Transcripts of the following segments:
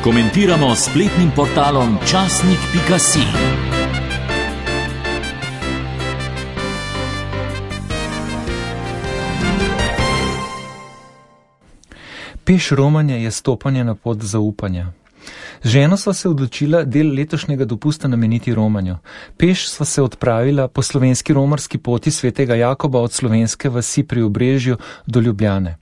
Komentiramo s spletnim portalom časnik.si. Peš romanja je stopanje na pot zaupanja. Z ženo sva se odločila del letošnjega dopusta nameniti romanju. Peš sva se odpravila po slovenski romarski poti svetega Jakoba od slovenske vasi pri Obrežju do Ljubljane.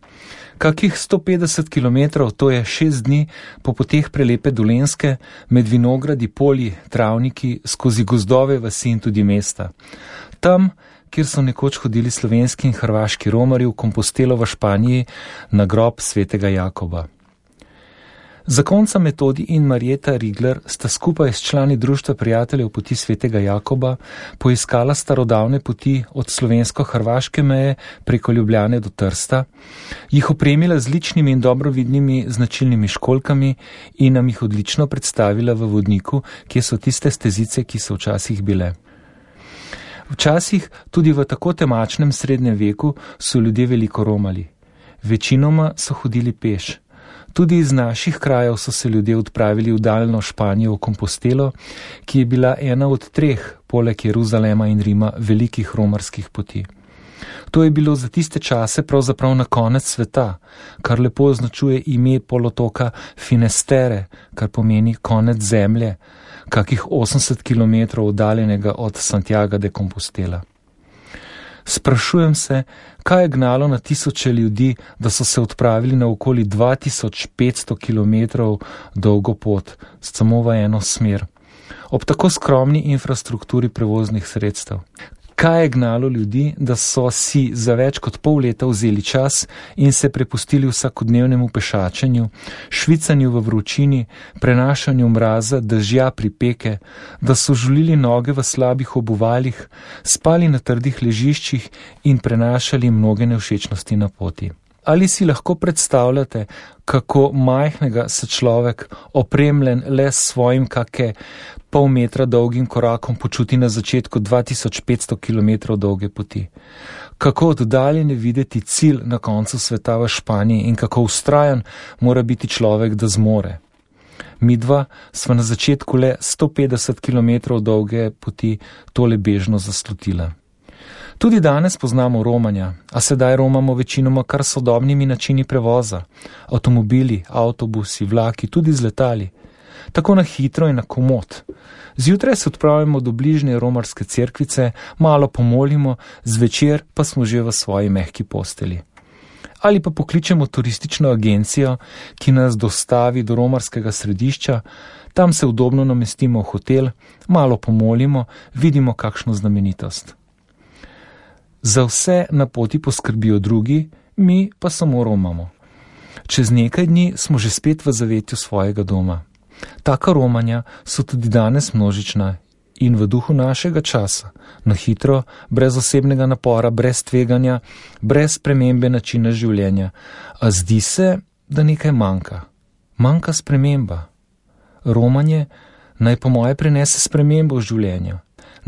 Kakih 150 kilometrov, to je 6 dni, po poteh prelepe Dolenjske, med vinogradi, polji, travniki, skozi gozdove, vasi in tudi mesta. Tam, kjer so nekoč hodili slovenski in hrvaški romarji v Compostelo v Španiji na grob svetega Jakoba. Zakonca Metodi in Marjeta Rigler sta skupaj s člani Društva prijateljev poti svetega Jakoba poiskala starodavne poti od slovensko-hrvaške meje preko Ljubljane do Trsta, jih opremila z ličnimi in dobrovidnimi značilnimi školjkami in nam jih odlično predstavila v vodniku, kje so tiste stezice, ki so včasih bile. Včasih, tudi v tako temačnem srednjem veku, so ljudje veliko romali. Večinoma so hodili peš. Tudi iz naših krajev so se ljudje odpravili v daljno Španijo v Compostelo, ki je bila ena od 3, poleg Jeruzalema in Rima, velikih romarskih poti. To je bilo za tiste čase pravzaprav na konec sveta, kar lepo označuje ime polotoka Finestere, kar pomeni konec zemlje, kakih 80 km oddaljenega od Santiaga de Compostela. Sprašujem se, kaj je gnalo na tisoče ljudi, da so se odpravili na okoli 2500 km dolgo pot, samo v eno smer, ob tako skromni infrastrukturi prevoznih sredstev. Kaj je gnalo ljudi, da so si za več kot pol leta vzeli čas in se prepustili vsakodnevnemu pešačenju, švicanju v vročini, prenašanju mraza, dežja, pripeke, da so žulili noge v slabih obuvalih, spali na trdih ležiščih in prenašali mnoge nevšečnosti na poti. Ali si lahko predstavljate, kako majhnega se človek, opremljen le s svojim kake pol metra dolgim korakom, počuti na začetku 2500 km dolge poti? Kako oddaljen je videti cilj na koncu sveta v Španiji in kako vztrajan mora biti človek, da zmore? Midva sva na začetku le 150 km dolge poti tole bežno zaslutila. Tudi danes poznamo romanja, a sedaj romamo večinoma kar sodobnimi načini prevoza, avtomobili, avtobusi, vlaki, tudi z letali, tako na hitro in na komod. Zjutraj se odpravimo do bližnje romarske cerkvice, malo pomolimo, zvečer pa smo že v svoji mehki posteli. Ali pa pokličemo turistično agencijo, ki nas dostavi do romarskega središča, tam se udobno namestimo v hotel, malo pomolimo, vidimo kakšno znamenitost. Za vse na poti poskrbijo drugi, mi pa samo romamo. Čez nekaj dni smo že spet v zavetju svojega doma. Taka romanja so tudi danes množična in v duhu našega časa, na hitro, brez osebnega napora, brez tveganja, brez spremembe načina življenja. A zdi se, da nekaj manjka. Manjka sprememba. Romanje naj po moje prinese spremembo v življenju.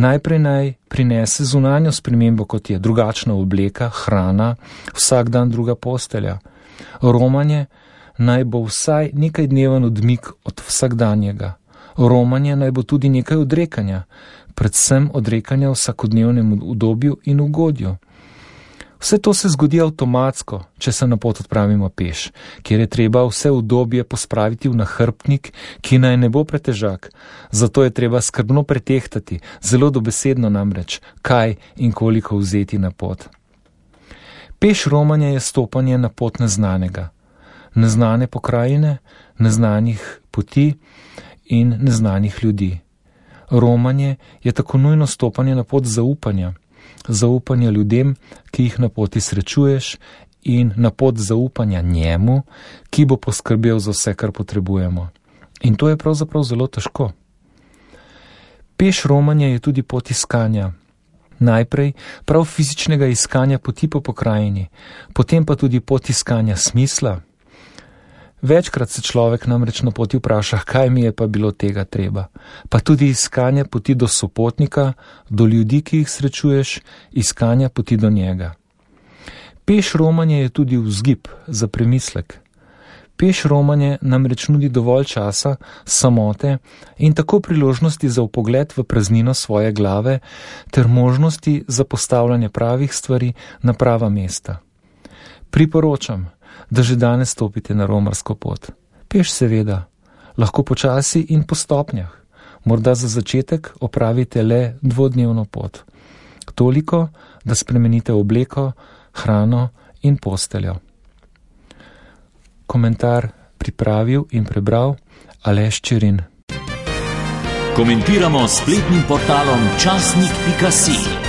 Najprej naj prinese zunanjo spremembo, kot je drugačna obleka, hrana, vsak dan druga postelja. Romanje naj bo vsaj nekaj dneven odmik od vsakdanjega. Romanje naj bo tudi nekaj odrekanja, predvsem odrekanja vsakodnevnemu udobju in ugodju. Vse to se zgodi avtomatsko, če se na pot odpravimo peš, kjer je treba vse udobje pospraviti v nahrbtnik, ki naj ne bo pretežak. Zato je treba skrbno pretehtati, zelo dobesedno namreč, kaj in koliko vzeti na pot. Peš romanje je stopanje na pot neznanega. Neznane pokrajine, neznanih poti in neznanih ljudi. Romanje je tako nujno stopanje na pot zaupanja. Zaupanja ljudem, ki jih na poti srečuješ, in na pot zaupanja njemu, ki bo poskrbel za vse, kar potrebujemo. In to je pravzaprav zelo težko. Peš romanja je tudi pot iskanja. Najprej prav fizičnega iskanja poti po pokrajini, potem pa tudi pot iskanja smisla. Večkrat se človek namreč na poti vpraša, kaj mi je pa bilo tega treba. Pa tudi iskanje poti do sopotnika, do ljudi, ki jih srečuješ, iskanja poti do njega. Peš romanje je tudi vzgib za premislek. Peš romanje namreč nudi dovolj časa, samote in tako priložnosti za vpogled v praznino svoje glave ter možnosti za postavljanje pravih stvari na prava mesta. Priporočam, da že danes stopite na romarsko pot. Peš seveda, lahko počasi in po stopnjah. Morda za začetek opravite le 2-dnevno pot. Toliko, da spremenite obleko, hrano in posteljo. Komentar pripravil in prebral Aleš Čirin. Komentiramo s spletnim portalom časnik.si.